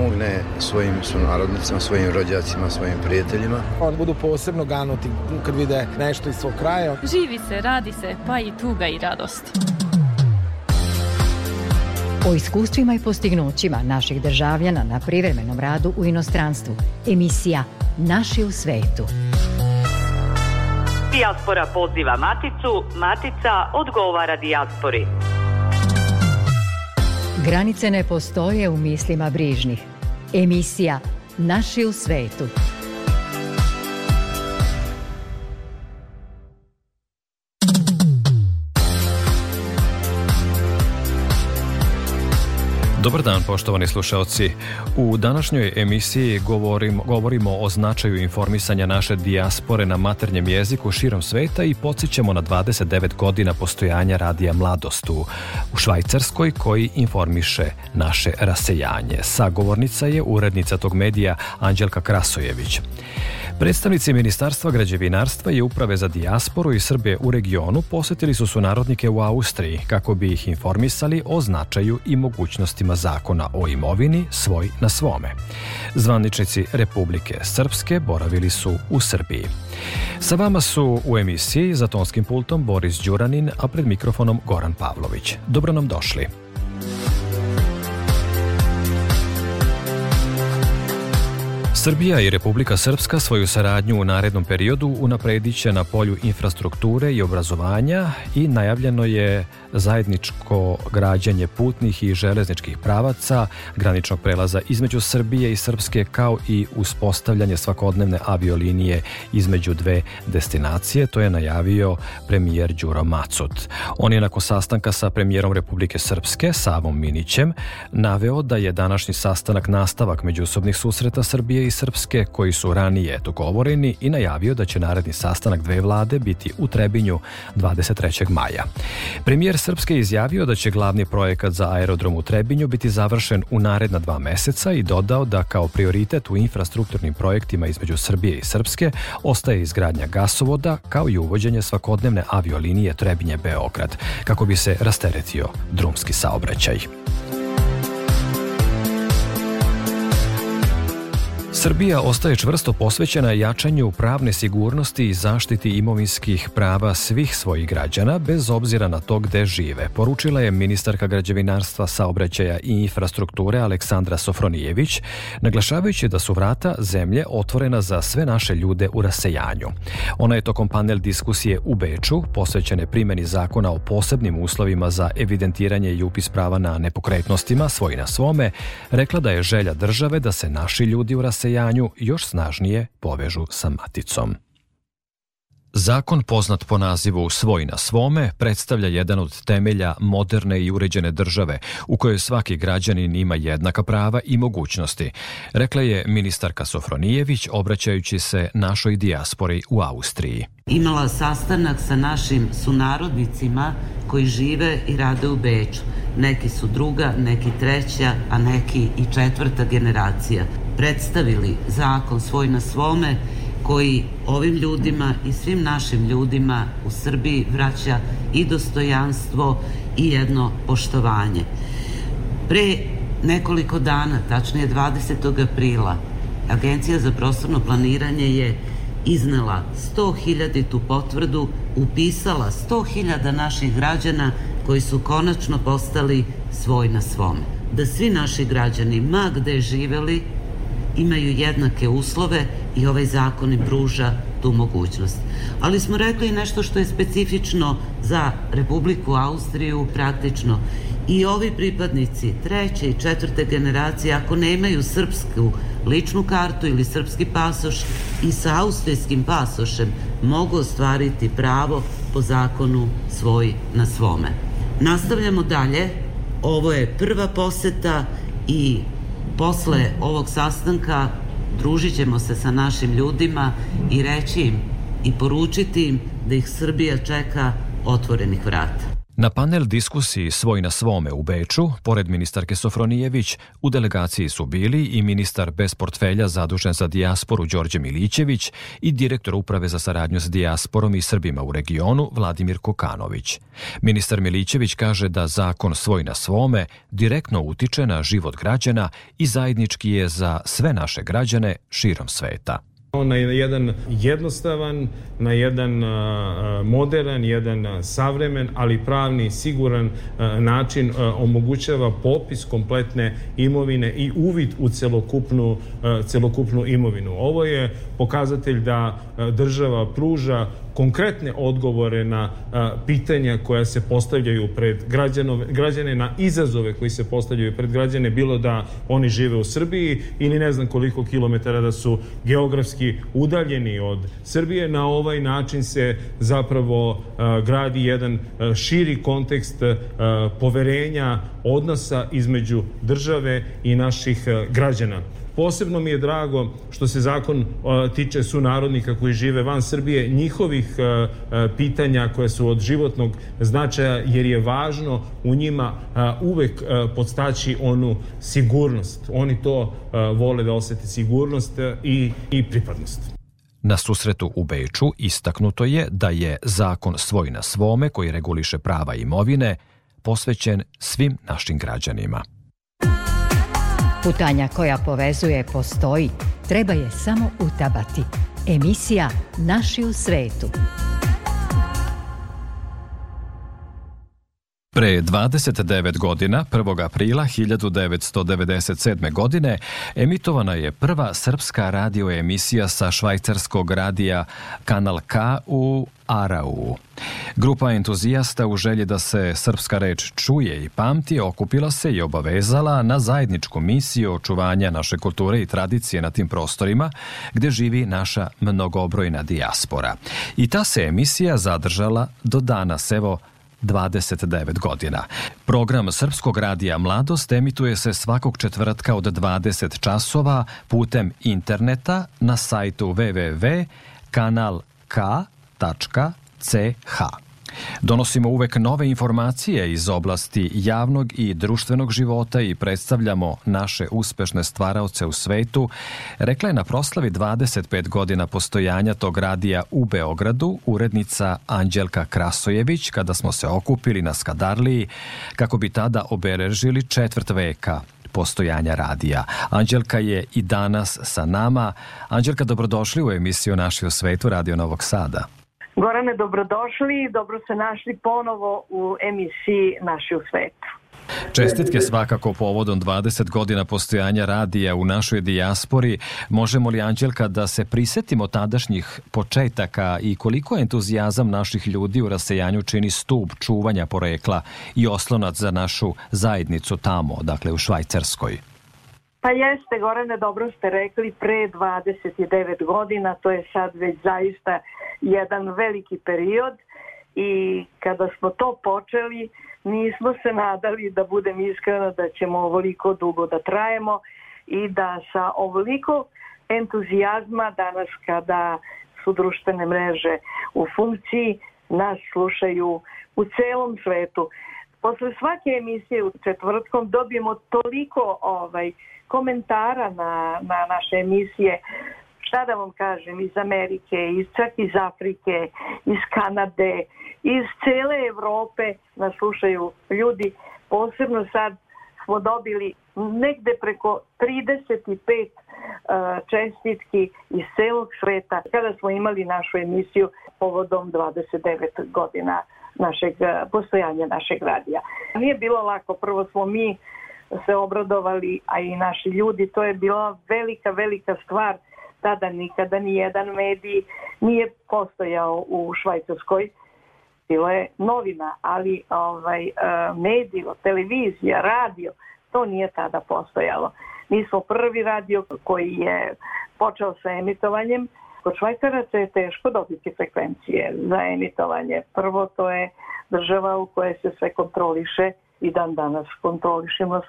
pomogne svojim sunarodnicima, svojim rođacima, svojim prijateljima. Oni budu posebno ganuti kad vide nešto iz svog kraja. Živi se, radi se, pa i tuga i radost. O iskustvima i postignućima naših državljana na privremenom radu u inostranstvu. Emisija Naši u svetu. Dijaspora poziva Maticu, Matica odgovara dijaspori. Granice ne postoje u mislima brižnih. Emisija Naši u svetu. Dobar dan, poštovani slušalci. U današnjoj emisiji govorimo o značaju informisanja naše dijaspore na maternjem jeziku širom sveta i podsjećamo na 29 godina postojanja Radija Mladost u Švajcarskoj koji informiše naše rasejanje. Sagovornica je urednica tog medija Anđelka Krasojević. Predstavnici Ministarstva građevinarstva i Uprave za dijasporu i Srbe u regionu posjetili su sunarodnike u Austriji kako bi ih informisali o značaju i mogućnostima zakona o imovini svoj na svome. Zvaničnici Republike Srpske boravili su u Srbiji. Sa vama su u emisiji za tonskim pultom Boris Đuranin, a pred mikrofonom Goran Pavlović. Dobro nam došli. Srbija i Republika Srpska svoju saradnju u narednom periodu unapredit će na polju infrastrukture i obrazovanja i najavljeno je zajedničko građenje putnih i železničkih pravaca, graničnog prelaza između Srbije i Srpske, kao i uspostavljanje svakodnevne aviolinije između dve destinacije. To je najavio premijer Đuro Macot. On je nakon sastanka sa premijerom Republike Srpske, Savom Minićem, naveo da je današnji sastanak nastavak međusobnih susreta Srbije i Srpske koji su ranije dogovoreni i najavio da će naredni sastanak dve vlade biti u Trebinju 23. maja. Premijer Srpske izjavio da će glavni projekat za aerodrom u Trebinju biti završen u naredna 2 meseca i dodao da kao prioritet u infrastrukturnim projektima između Srbije i Srpske ostaje izgradnja gasovoda kao i uvođenje svakodnevne aviolinije Trebinje-Beograd kako bi se rasteretio drumski saobraćaj. Srbija ostaje čvrsto posvećena jačanju pravne sigurnosti i zaštiti imovinskih prava svih svojih građana, bez obzira na to gde žive, poručila je ministarka građevinarstva, saobraćaja i infrastrukture Aleksandra Sofronijević, naglašavajući da su vrata zemlje otvorena za sve naše ljude u rasejanju. Ona je tokom panel diskusije u Beču, posvećene primjeni zakona o posebnim uslovima za evidentiranje i upis prava na nepokretnostima svoj na svome, rekla da je želja države da se naši ljudi u rasejanju još snažnije povežu sa maticom. Zakon poznat po nazivu Svoj na svome predstavlja jedan od temelja moderne i uređene države u kojoj svaki građanin ima jednaka prava i mogućnosti, rekla je ministarka Sofronijević obraćajući se našoj dijaspori u Austriji. Imala sastanak sa našim sunarodnicima koji žive i rade u Beču. Neki su druga, neki treća, a neki i 4. generacija. Predstavili zakon Svoj na svome koji ovim ljudima i svim našim ljudima u Srbiji vraća i dostojanstvo i jedno poštovanje. Pre nekoliko dana, tačnije 20. aprila, Agencija za prostorno planiranje je iznela 100.000 potvrdu, upisala 100.000 naših građana koji su konačno postali svoj na svome. Da svi naši građani, ma gde živeli, imaju jednake uslove i ovaj zakon im pruža tu mogućnost. Ali smo rekli i nešto što je specifično za Republiku Austriju, praktično. I ovi pripadnici 3. i 4. generacije, ako nemaju srpsku ličnu kartu ili srpski pasoš i sa austrijskim pasošem, mogu ostvariti pravo po zakonu Svoj na svome. Nastavljamo dalje. Ovo je prva poseta i posle ovog sastanka družit ćemo se sa našim ljudima i reći im i poručiti im da ih Srbija čeka otvorenih vrata. Na panel diskusiji Svoj na svome u Beču, pored ministarke Sofronijević, u delegaciji su bili i ministar bez portfelja zadužen za dijasporu Đorđe Milićević i direktor Uprave za saradnju s dijasporom i Srbima u regionu Vladimir Kokanović. Ministar Milićević kaže da zakon Svoj na svome direktno utiče na život građana i zajednički je za sve naše građane širom sveta. Na jedan jednostavan, na jedan moderan, jedan savremen, ali pravni, siguran način omogućava popis kompletne imovine i uvid u celokupnu imovinu. Ovo je pokazatelj da država pruža konkretne odgovore na pitanja koja se postavljaju pred građane, na izazove koji se postavljaju pred građane, bilo da oni žive u Srbiji ili ne znam koliko kilometara da su geografski udaljeni od Srbije. Na ovaj način se zapravo gradi jedan širi kontekst poverenja, odnosa između države i naših građana. Posebno mi je drago što se zakon tiče sunarodnika koji žive van Srbije, njihovih pitanja koje su od životnog značaja, jer je važno u njima uvek podstaći onu sigurnost. Oni to vole da osete, sigurnost i pripadnost. Na susretu u Beču istaknuto je da je zakon Svoj na svome, koji reguliše prava imovine, posvećen svim našim građanima. Putanja koja povezuje postoji, treba je samo utabati. Emisija Naši u svetu. Pre 29 godina, 1. aprila 1997. godine, emitovana je prva srpska radioemisija sa švajcarskog radija Kanal K u Arau. Grupa entuzijasta u želji da se srpska reč čuje i pamti okupila se i obavezala na zajedničku misiju očuvanja naše kulture i tradicije na tim prostorima gde živi naša mnogobrojna dijaspora. I ta se emisija zadržala do danas, evo, 29 godina. Program Srpskog radija Mladost emituje se svakog četvrtka od 20 časova putem interneta na sajtu www.kanalk.ch. Donosimo uvek nove informacije iz oblasti javnog i društvenog života i predstavljamo naše uspešne stvaraoce u svetu, rekla je na proslavi 25 godina postojanja tog radija u Beogradu urednica Anđelka Krasojević, kada smo se okupili na Skadarliji kako bi tada obeležili 4 veka postojanja radija. Anđelka je i danas sa nama. Anđelka, dobrodošli u emisiju Naši u svetu, Radio Novog Sada. Gorane, dobrodošli i dobro se našli ponovo u emisiji Naši u svetu. Čestitke svakako povodom 20 godina postojanja radija u našoj dijaspori. Možemo li, Anđelka, da se prisetimo tadašnjih početaka i koliko entuzijazam naših ljudi u rasejanju čini stub čuvanja porekla i oslonac za našu zajednicu tamo, dakle u Švajcarskoj? Pa jeste, Gorane, dobro ste rekli, pre 29 godina, to je sad već zaista jedan veliki period i kada smo to počeli, nismo se nadali, da budem iskrena, da ćemo ovoliko dugo da trajemo i da sa ovoliko entuzijazma danas kada su društvene mreže u funkciji, nas slušaju u celom svetu. Posle svake emisije u četvrtkom dobijemo toliko komentara na naše emisije, šta da vam kažem, iz Amerike, čak iz Afrike, iz Kanade, iz cele Evrope nas slušaju ljudi. Posebno sad smo dobili negde preko 35 čestitki iz celog sveta kada smo imali našu emisiju povodom 29 godina postojanja našeg radija. Nije bilo lako, prvo smo mi se obradovali, a i naši ljudi, to je bila velika stvar. Tada nikada ni jedan medij nije postojao u Švajcarskoj. Bilo je novina, ali medij, televizija, radio, to nije tada postojalo. Mi smo prvi radio koji je počeo sa emitovanjem. Kod Švajcaraca je teško dobiti frekvencije za emitovanje. Prvo, to je država u kojoj se sve kontroliše i dan danas kontrolišemo.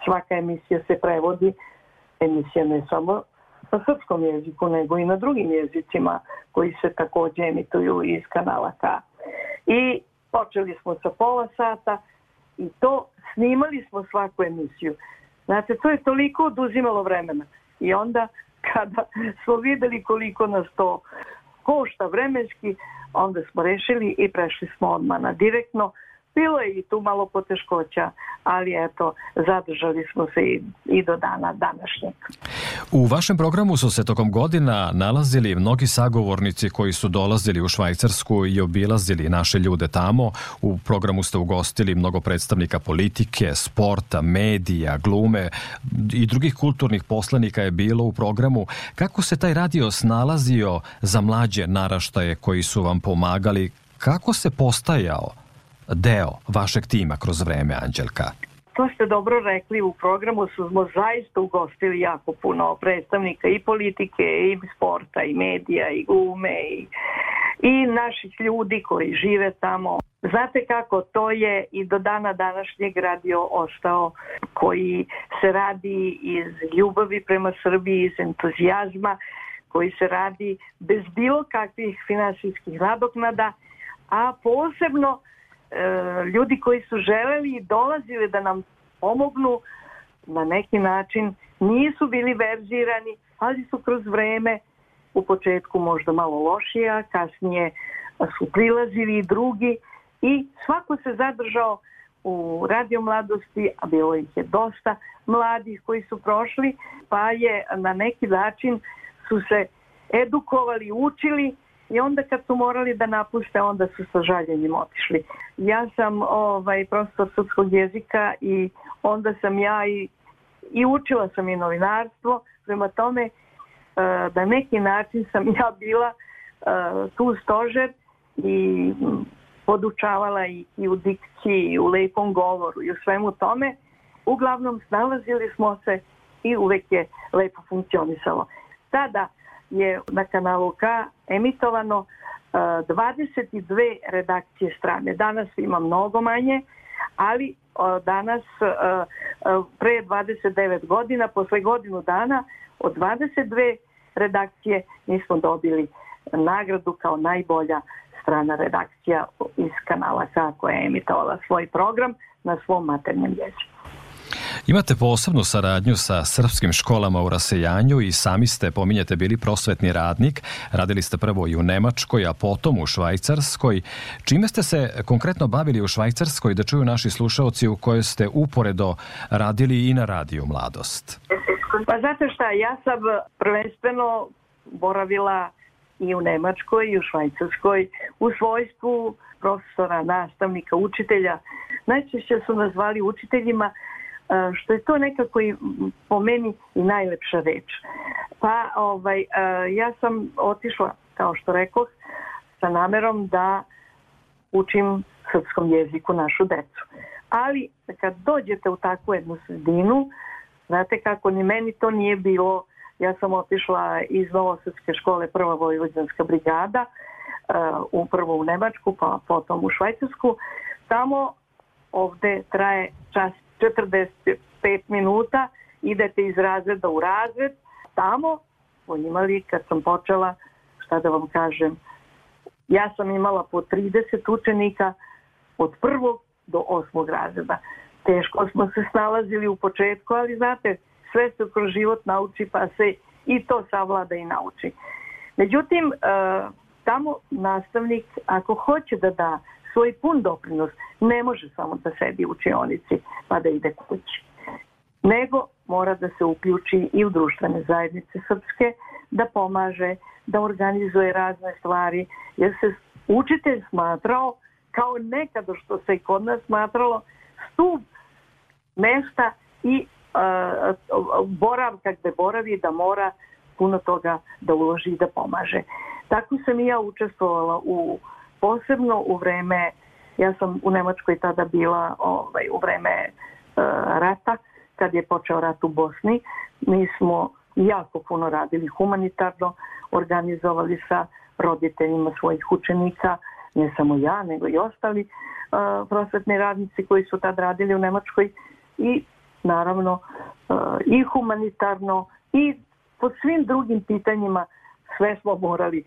Svaka emisija se prevodi. Emisija ne samo na srpskom jeziku, nego i na drugim jezicima koji se također emituju iz kanala K. I počeli smo sa pola sata i to snimali smo svaku emisiju. Znate, to je toliko oduzimalo vremena. I onda kada smo videli koliko nas to košta vremenski, onda smo rešili i prešli smo odmah na direktno. Bilo je i tu malo poteškoća, ali eto, zadržali smo se i do dana današnjeg. U vašem programu su se tokom godina nalazili mnogi sagovornici koji su dolazili u Švajcarsku i obilazili naše ljude tamo. U programu ste ugostili mnogo predstavnika politike, sporta, medija, glume i drugih kulturnih poslanika je bilo u programu. Kako se taj radio snalazio za mlađe naraštaje koji su vam pomagali? Kako se postajao deo vašeg tima kroz vreme, Anđelka? To ste dobro rekli, u programu smo zaista ugostili jako puno predstavnika i politike, i sporta, i medija, i glume, i naših ljudi koji žive tamo. Znate kako, to je i do dana današnjeg radio ostao, koji se radi iz ljubavi prema Srbiji, iz entuzijazma, koji se radi bez bilo kakvih finansijskih nadoknada, a posebno ljudi koji su želeli i dolazili da nam pomognu na neki način nisu bili verzirani, ali su kroz vreme u početku možda malo lošija, kasnije su prilazili i drugi i svako se zadržao u Radio Mladosti, a bilo ih je dosta mladih koji su prošli, pa je na neki način su se edukovali, učili. I onda kad su morali da napuste, onda su sa žaljenjem otišli. Ja sam profesor srpskog jezika i onda sam ja i učila sam i novinarstvo. Prema tome, na neki način sam ja bila tu stožer i podučavala i u dikciji, i u lepom govoru i u svemu tome. Uglavnom, snalazili smo se i uvek je lepo funkcionisalo. Tada je na kanalu K emitovano 22 redakcije strane. Danas ima mnogo manje, ali danas pre 29 godina, posle godinu dana, od 22 redakcije mi smo dobili nagradu kao najbolja strana redakcija iz kanala K koja je emitovala svoj program na svom maternjem jeziku. Imate posebnu saradnju sa srpskim školama u rasejanju i sami ste, pominjete, bili prosvetni radnik. Radili ste prvo i u Nemačkoj, a potom u Švajcarskoj. Čime ste se konkretno bavili u Švajcarskoj, da čuju naši slušaoci, u kojoj ste uporedo radili i na Radio Mladost? Pa znate šta, ja sam prvenstveno boravila i u Nemačkoj i u Švajcarskoj u svojstvu profesora, nastavnika, učitelja. Najčešće su nas zvali učiteljima, što je to nekako i po meni i najlepša reč. Pa ja sam otišla, kao što rekoh, sa namerom da učim srpskom jeziku našu decu. Ali kad dođete u takvu jednu sredinu, znate kako, ni meni to nije bilo. Ja sam otišla iz Novosadske škole, prva vojvođanska brigada, prvo u Nemačku, pa potom u Švajcarsku. Tamo ovde traje čas 45 minuta, idete iz razreda u razred. Tamo smo imali, kad sam počela, šta da vam kažem, ja sam imala po 30 učenika od 1. do 8. razreda. Teško smo se snalazili u početku, ali znate, sve se kroz život nauči, pa se i to savlada i nauči. Međutim, tamo nastavnik, ako hoće da da svoj pun doprinos, ne može samo da sedi u učionici pa da ide kući. Nego mora da se uključi i u društvene zajednice srpske, da pomaže, da organizuje razne stvari, jer se učitelj smatrao, kao nekada što se i kod nas smatralo, stup mesta i boravka gde boravi, da mora puno toga da uloži i da pomaže. Tako sam i ja učestvovala posebno u vreme, ja sam u Nemačkoj tada bila u vreme rata, kad je počeo rat u Bosni. Mi smo jako puno radili humanitarno, organizovali sa roditeljima svojih učenika, ne samo ja, nego i ostali prosvetni radnici koji su tad radili u Nemačkoj, i naravno i humanitarno i po svim drugim pitanjima sve smo morali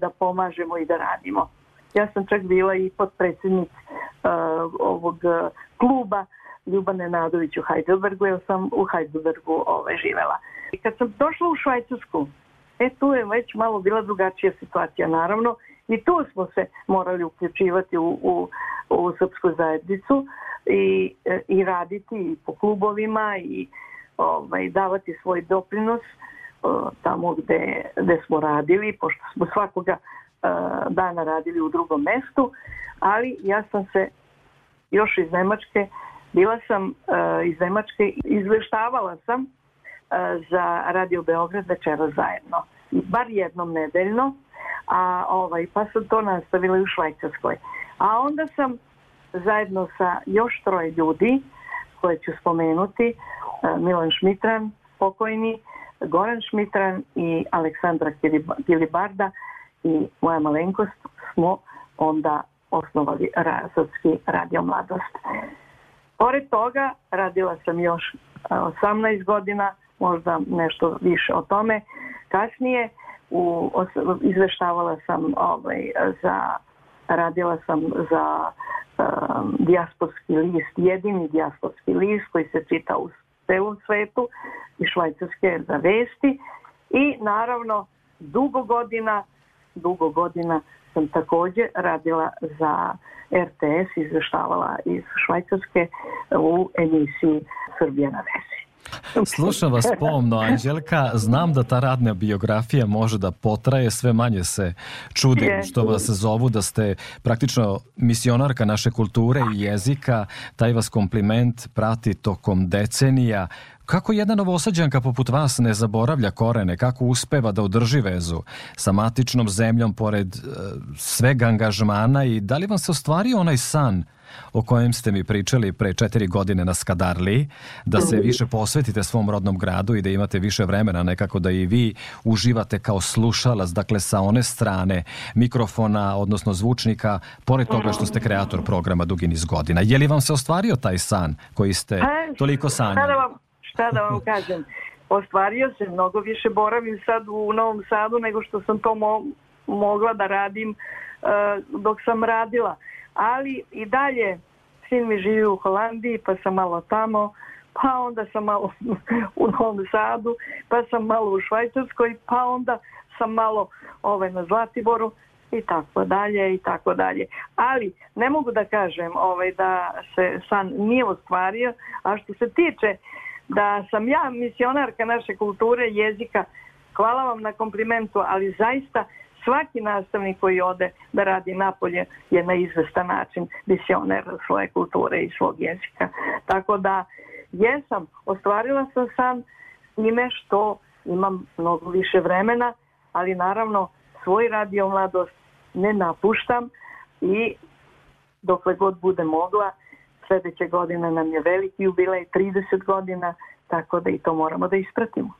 da pomažemo i da radimo. Ja sam čak bila i potpredsjednik ovog kluba Ljuba Nenadović u Heidelbergu, jer sam u Heidelbergu živela. I kad sam došla u Švajcarsku, tu je već malo bila drugačija situacija, naravno, i tu smo se morali uključivati u srpsku zajednicu i raditi i po klubovima i davati svoj doprinos tamo gde smo radili, pošto smo svakoga dana radili u drugom mestu, ali ja sam se još iz Nemačke, bila sam iz Nemačke, izveštavala sam za Radio Beograd večeras zajedno, bar jednom nedeljno, pa sam to nastavila i u Švajcarskoj. A onda sam zajedno sa još 3 ljudi, koje ću spomenuti, Milan Šmitran, pokojni, Goran Šmitran i Aleksandra Kilibarda i moja malenkost, smo onda osnovali Srpski radio Mladost. Pored toga radila sam još 18 godina, možda nešto više o tome. Kasnije izveštavala sam radila sam za dijasporski list, jedini dijasporski list koji se čita u celom svetu i Švajcarske za vesti i naravno dugo godina sam također radila za RTS, izveštavala iz Švajcarske u emisiji Srbija na vezi. Slušam vas pomno, Anđelka. Znam da ta radna biografija može da potraje, sve manje se čudim što vas zovu da ste praktično misionarka naše kulture i jezika. Taj vas kompliment prati tokom decenija. Kako jedna Novosađanka poput vas ne zaboravlja korene, kako uspeva da održi vezu sa matičnom zemljom pored svega angažmana i da li vam se ostvario onaj san o kojem ste mi pričali pre 4 godine na Skadarliji, da se više posvetite svom rodnom gradu i da imate više vremena nekako da i vi uživate kao slušalac, dakle sa one strane mikrofona, odnosno zvučnika, pored toga što ste kreator programa dugi niz godina. Je li vam se ostvario taj san koji ste toliko sanjali? Šta da vam kažem? Ostvario se, mnogo više boravim sad u Novom Sadu nego što sam to mogla da radim dok sam radila. Ali i dalje, sin mi živi u Holandiji, pa sam malo tamo, pa onda sam malo u Novom Sadu, pa sam malo u Švajcarskoj, pa onda sam malo na Zlatiboru i tako dalje i tako dalje. Ali ne mogu da kažem da se san nije ostvario, a što se tiče da sam ja misionarka naše kulture, jezika, hvala vam na komplimentu, ali zaista svaki nastavnik koji ode da radi napolje je na izvestan način misioner svoje kulture i svog jezika. Tako da ostvarila sam san s time što imam mnogo više vremena, ali naravno svoj radio Mladost ne napuštam i dokle god bude mogla. Sljedeće godine nam je veliki jubilej, 30 godina, tako da i to moramo da ispratimo.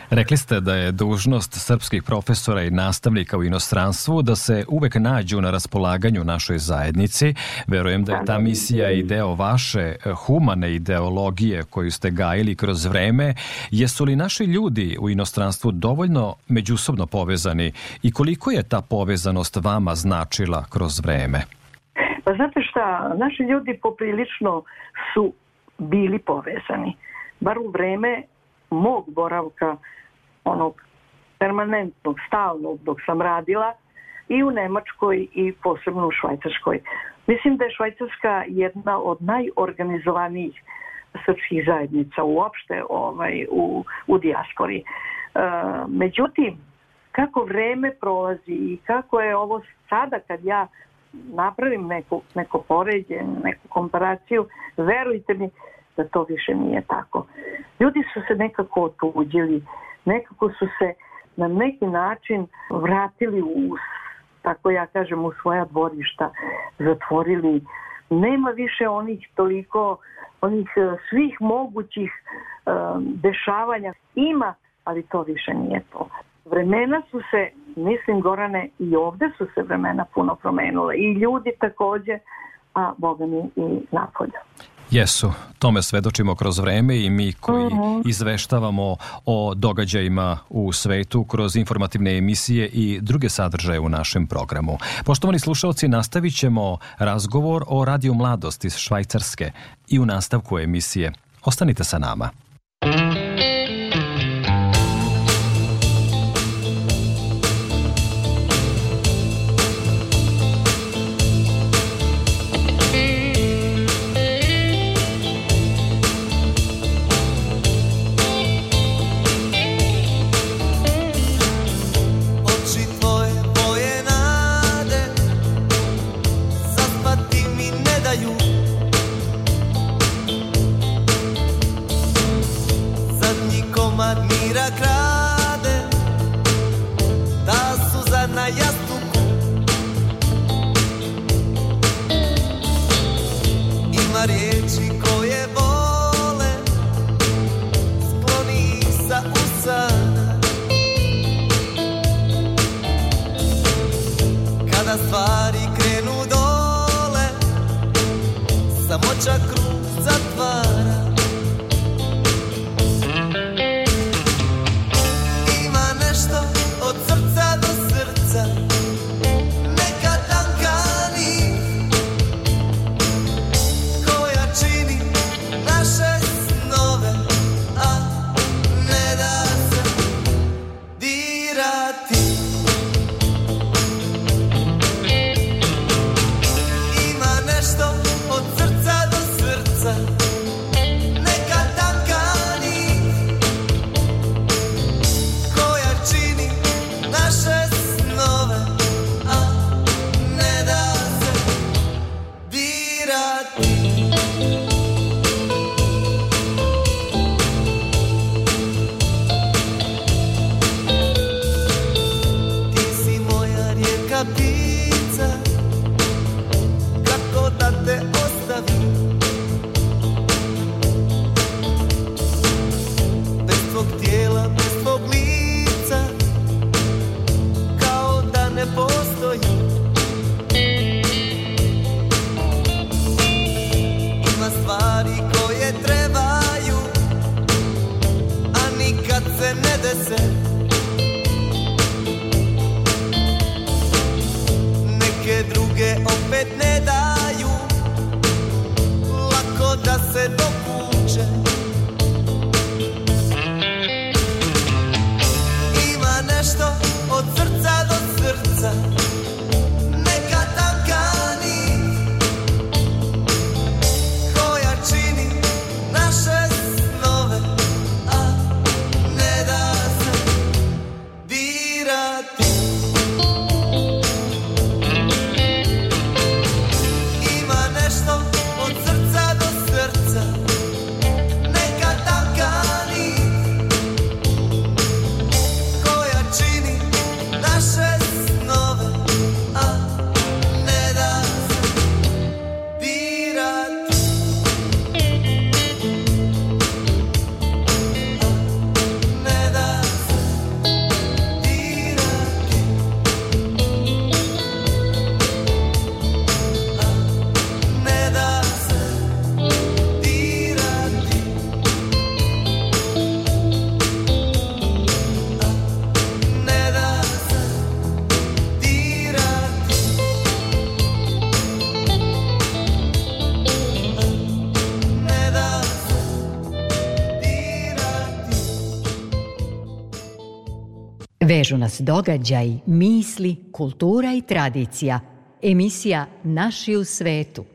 Rekli ste da je dužnost srpskih profesora i nastavnika u inostranstvu da se uvek nađu na raspolaganju našoj zajednici. Verujem da je ta misija i deo vaše humane ideologije koju ste gajili kroz vreme. Jesu li naši ljudi u inostranstvu dovoljno međusobno povezani i koliko je ta povezanost vama značila kroz vreme? Pa znate šta, naši ljudi poprilično su bili povezani. Bar u vreme mog boravka, onog permanentnog, stalnog dok sam radila i u Nemačkoj i posebno u Švajcarskoj. Mislim da je Švajcarska jedna od najorganizovanijih srpskih zajednica uopšte u dijaspori. Međutim, kako vreme prolazi i kako je ovo sada kad ja napravim neko poređenje, neku komparaciju, verujte mi da to više nije tako. Ljudi su se nekako otuđili, nekako su se na neki način vratili tako ja kažem, u svoja dvorišta, zatvorili. Nema više onih svih mogućih dešavanja. Ima, ali to više nije to. Vremena su se, mislim Gorane, i ovde su se vremena puno promenule. I ljudi također, a Boga mi i napolje. Jesu, tome svedočimo kroz vreme i mi koji izveštavamo o događajima u svetu kroz informativne emisije i druge sadržaje u našem programu. Poštovani slušalci, nastavit ćemo razgovor o Radio Mladost iz Švajcarske i u nastavku emisije. Ostanite sa nama. Vežu nas događaj, misli, kultura i tradicija. Emisija Naši u svetu.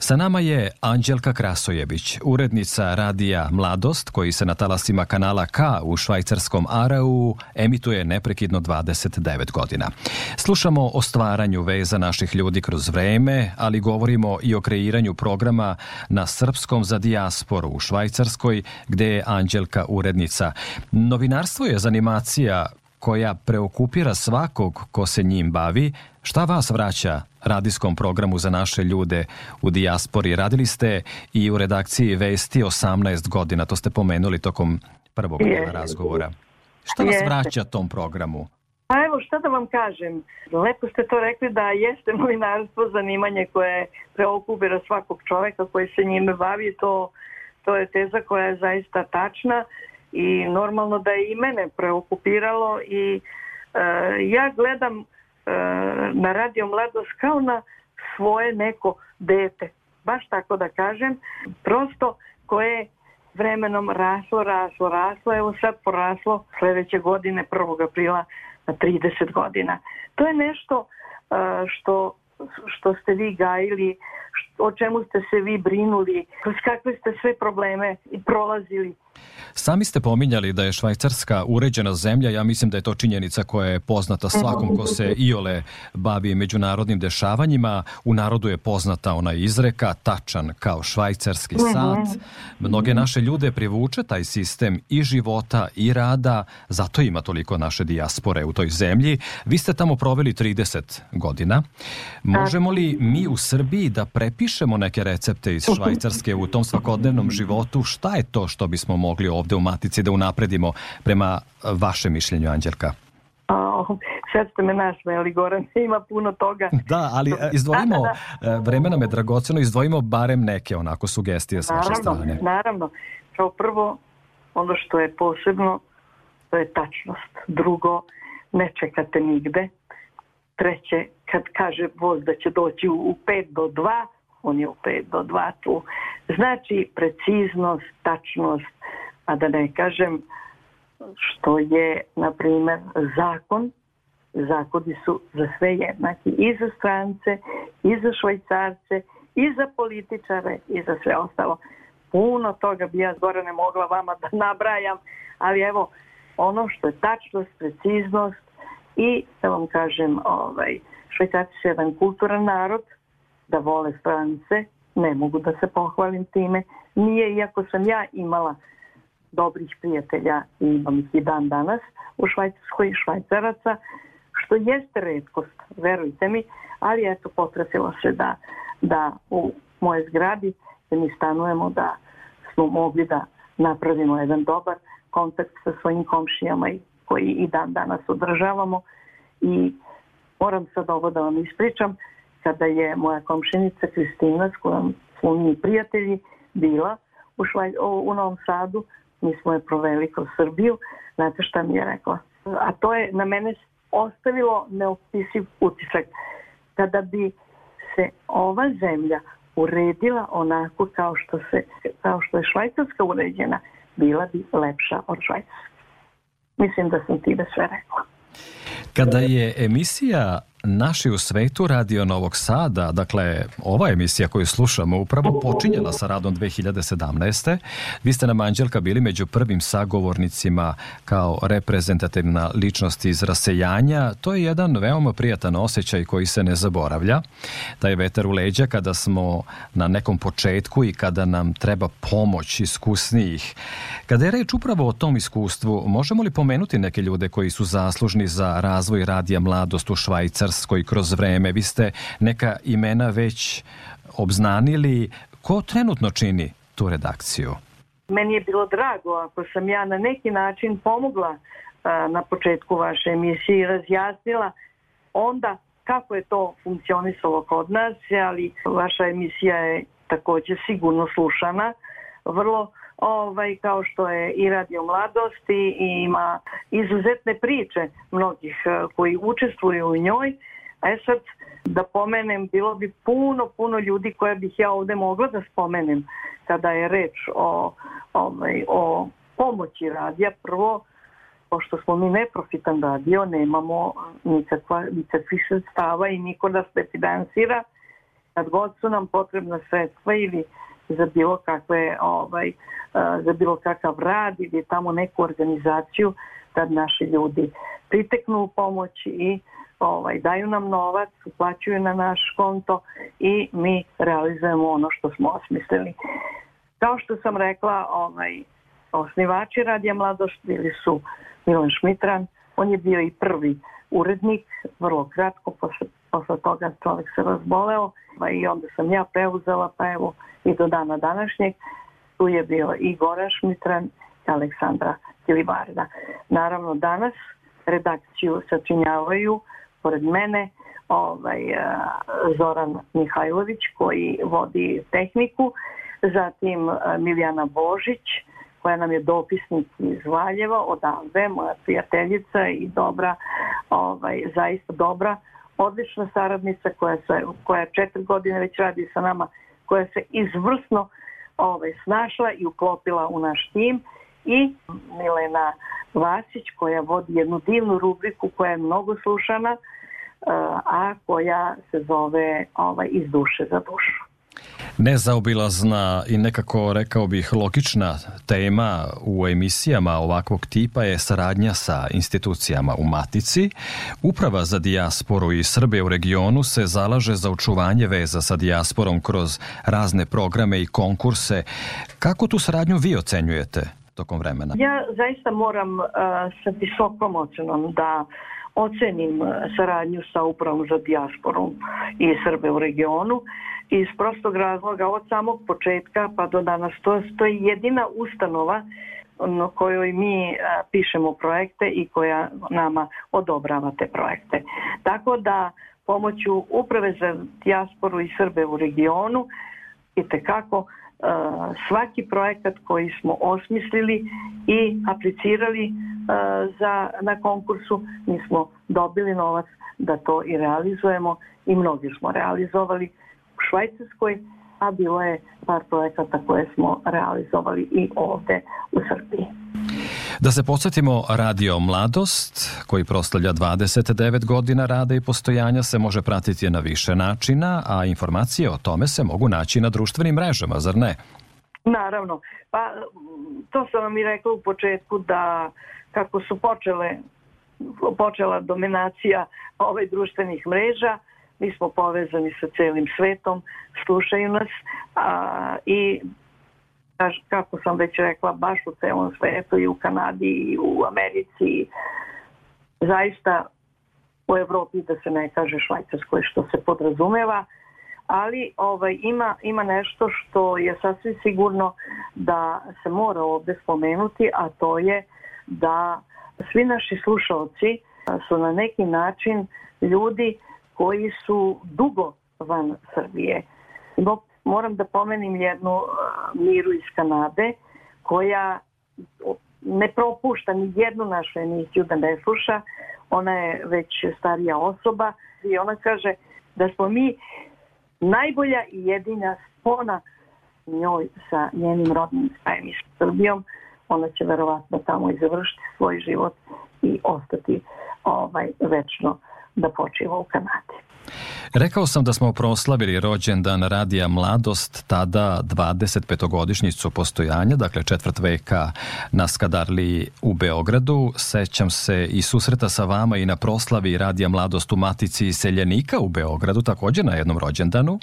Sa nama je Anđelka Krasojević, urednica radija Mladost, koji se na talasima kanala K u švajcarskom Aarau emituje neprekidno 29 godina. Slušamo o stvaranju veza naših ljudi kroz vreme, ali govorimo i o kreiranju programa na srpskom za dijasporu u Švajcarskoj, gde je Anđelka urednica. Novinarstvo je zanimacija koja preokupira svakog ko se njim bavi. Šta vas vraća radijskom programu za naše ljude u dijaspori? Radili ste i u redakciji Vesti 18 godina, to ste pomenuli tokom prvog razgovora. Šta vas vraća tom programu? Pa evo, šta da vam kažem, lepo ste to rekli da jeste novinarstvo zanimanje koje preokupira svakog čoveka koji se njime bavi, to je teza koja je zaista tačna i normalno da je i mene preokupiralo i ja gledam na Radio Mladost kao na svoje neko dete, baš tako da kažem, prosto koje vremenom raslo, evo sad poraslo sljedeće godine 1. aprila na 30 godina. To je nešto što ste vi gajili, o čemu ste se vi brinuli, kroz kakve ste sve probleme prolazili. Sami ste pominjali da je Švajcarska uređena zemlja, ja mislim da je to činjenica koja je poznata svakom ko se iole bavi međunarodnim dešavanjima. U narodu je poznata ona izreka, tačan kao švajcarski sat. Mnoge naše ljude privuče taj sistem i života i rada, zato ima toliko naše dijaspore u toj zemlji. Vi ste tamo proveli 30 godina. Možemo li mi u Srbiji da prepišemo neke recepte iz Švajcarske u tom svakodnevnom životu? Šta je to što bismo mogli ovdje u Matici da unapredimo prema vašem mišljenju, Anđelka? Sad ste me nasmejali, Goran, ima puno toga. Da, ali izdvojimo, vreme nam je dragoceno, izdvojimo barem neke onako sugestije s vaše strane. Naravno. Kao prvo, ono što je posebno, to je tačnost. Drugo, ne čekate nigde. Treće, kad kaže voz da će doći u 5 do 2, on je u 5 do 2 tu. Znači, preciznost, tačnost, a da ne kažem što je, na primjer, zakon. Zakoni su za sve jednaki, i za strance, i za Švajcarce, i za političare, i za sve ostalo. Puno toga bi ja zgore ne mogla vama da nabrajam, ali evo, ono što je tačnost, preciznost i, da vam kažem, Švajcarci su jedan kulturan narod, da vole strance, ne mogu da se pohvalim time. Nije, iako sam ja imala dobrih prijatelja i imam ih i dan danas u Švajcarskoj, Švajcaraca, što jeste retkost, verujte mi, ali eto, potrafilo se da u moje zgradi gdje mi stanujemo, da smo mogli da napravimo jedan dobar kontakt sa svojim komšijama koji i dan danas održavamo. I moram sad ovo da vam ispričam, kada je moja komšinica Kristina, s kojom smo mi prijatelji, bila u Novom Sadu, mi smo je proveli kroz Srbiju, znate šta mi je rekla? A to je na mene ostavilo neopisiv utisak. Kada bi se ova zemlja uredila onako kao što je Švajcarska uređena, bila bi lepša od Švajcarske. Mislim da sam time sve rekla. Kada je emisija Naši u svetu Radio Novog Sada, dakle ova emisija koju slušamo upravo počinjela sa radom 2017. Vi ste nam, Anđelka, bili među prvim sagovornicima kao reprezentativna ličnost iz rasejanja. To je jedan veoma prijatan osjećaj koji se ne zaboravlja. Taj vetar u leđa kada smo na nekom početku i kada nam treba pomoć iskusnijih. Kada je reč upravo o tom iskustvu, možemo li pomenuti neke ljude koji su zaslužni za razvoj Radija Mladost u Švajcarskoj kroz vreme? Vi ste neka imena već obznanili. Ko trenutno čini tu redakciju? Meni je bilo drago ako sam ja na neki način pomogla na početku vaše emisije i razjasnila onda kako je to funkcionisalo kod nas, ali vaša emisija je također sigurno slušana, vrlo kao što je i Radio Mladost i ima izuzetne priče mnogih koji učestvuju u njoj. A sad da pomenem, bilo bi puno ljudi koje bih ja ovdje mogla da spomenem kada je reč o pomoći radija. Prvo, pošto smo mi neprofitan radio, nemamo nikakvih sredstava i niko da se finansira. Kad god su nam potrebna sredstva ili za bilo kakav rad ili tamo neku organizaciju, tad naši ljudi priteknu u pomoć i daju nam novac, uplaćuju na naš konto i mi realizujemo ono što smo osmislili. Kao što sam rekla, osnivači Radija Mladost bili su Milan Šmitran, on je bio i prvi urednik, vrlo kratko, posle toga čovjek se razboleo i onda sam ja preuzela, pa evo i do dana današnjeg. Tu je bio i Goran Šmitran i Aleksandra Kilibarda. Naravno danas redakciju sačinjavaju pored mene Zoran Mihajlović koji vodi tehniku, zatim Milijana Božić koja nam je dopisnik iz Valjeva, odavde, moja prijateljica i dobra, zaista dobra, odlična saradnica koja 4 godine već radi sa nama, koja se izvrsno snašla i uklopila u naš tim, i Milena Vasić koja vodi jednu divnu rubriku koja je mnogo slušana, a koja se zove Iz duše za dušu. Nezaobilazna i nekako, rekao bih, logična tema u emisijama ovakvog tipa je saradnja sa institucijama u Matici. Uprava za dijasporu i Srbe u regionu se zalaže za očuvanje veza sa dijasporom kroz razne programe i konkurse. Kako tu saradnju vi ocenjujete tokom vremena? Ja zaista moram sa visokom ocenom da ocenim saradnju sa Upravom za dijasporu i Srbe u regionu iz prostog razloga od samog početka pa do danas. To je jedina ustanova na kojoj mi pišemo projekte i koja nama odobrava te projekte. Tako da pomoću Uprave za dijasporu i Srbe u regionu itekako svaki projekat koji smo osmislili i aplicirali na konkursu, mi smo dobili novac da to i realizujemo i mnogi smo realizovali u Švajcarskoj, a bilo je par projekata koje smo realizovali i ovde u Srbiji. Da se podsjetimo, Radio Mladost, koji proslavlja 29 godina rada i postojanja, se može pratiti na više načina, a informacije o tome se mogu naći na društvenim mrežama, zar ne? Naravno. Pa to sam vam i rekla u početku da kako su počela dominacija društvenih mreža, mi smo povezani sa celim svetom, slušaju nas i kako sam već rekla, baš u celom svetu i u Kanadi i u Americi, zaista u Evropi, da se ne kaže Švajcarskoj, što se podrazumeva, ali ima nešto što je sasvim sigurno da se mora ovdje spomenuti, a to je da svi naši slušalci su na neki način ljudi koji su dugo van Srbije. Moram da pomenim jednu Miru iz Kanade koja ne propušta ni jednu našu emisiju da ne sluša. Ona je već starija osoba i ona kaže da smo mi najbolja i jedina spona njoj sa njenim rodnim krajem i Srbijom. Ona će verovatno tamo i završiti svoj život i ostati večno da počiva u Kanadi. Rekao sam da smo proslavili rođendan Radija Mladost, tada 25-godišnjicu postojanja, dakle 4. veka na Skadarliji u Beogradu. Sećam se i susreta sa vama i na proslavi Radija Mladost u Matici iseljenika u Beogradu, također na jednom rođendanu.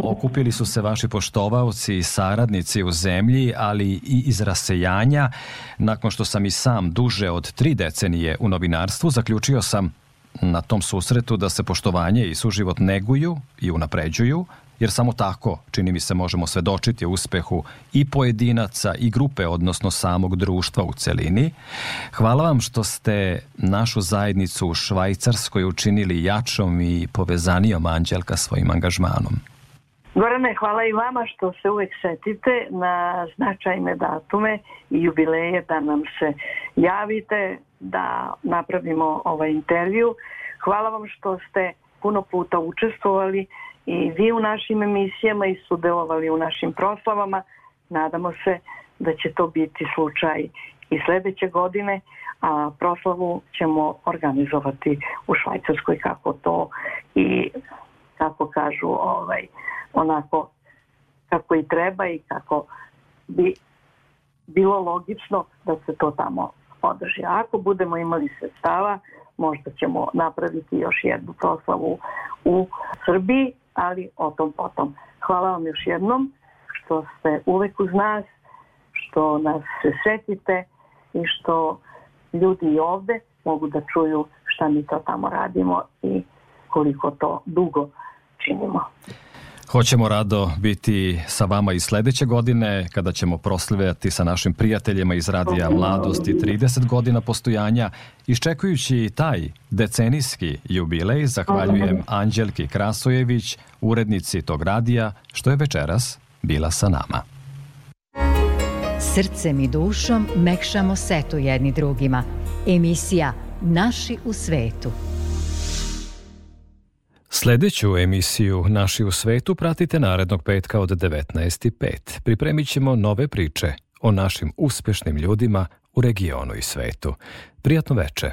Okupili su se vaši poštovaoci i saradnici u zemlji, ali i iz rasejanja. Nakon što sam i sam duže od 3 decenije u novinarstvu, zaključio sam na tom susretu da se poštovanje i suživot neguju i unapređuju, jer samo tako, čini mi se, možemo svedočiti uspehu i pojedinaca i grupe, odnosno samog društva u celini. Hvala vam što ste našu zajednicu u Švajcarskoj učinili jačom i povezanijom, Anđelka, svojim angažmanom. Gorane, hvala i vama što se uvek setite na značajne datume i jubileje, da nam se javite, da napravimo ovaj intervju. Hvala vam što ste puno puta učestvovali i vi u našim emisijama i sudjelovali u našim proslavama. Nadamo se da će to biti slučaj i sljedeće godine, a proslavu ćemo organizovati u Švajcarskoj kako to i kako kažu onako kako i treba i kako bi bilo logično da se to tamo održi. Ako budemo imali sredstava, možda ćemo napraviti još jednu proslavu u Srbiji, ali o tom potom. Hvala vam još jednom što ste uvek uz nas, što nas se setite i što ljudi i ovde mogu da čuju šta mi to tamo radimo i koliko to dugo činimo. Hoćemo rado biti sa vama i sljedeće godine kada ćemo proslavljati sa našim prijateljima iz Radija Mladosti 30 godina postojanja. Iščekujući taj decenijski jubilej, zahvaljujem Anđelki Krasojević, urednici tog radija, što je večeras bila sa nama. Srcem i dušom mekšamo setu jedni drugima. Emisija Naši u svetu. Sljedeću emisiju Naši u svetu pratite narednog petka od 19:05. Pripremit ćemo nove priče o našim uspešnim ljudima u regionu i svetu. Prijatno veče.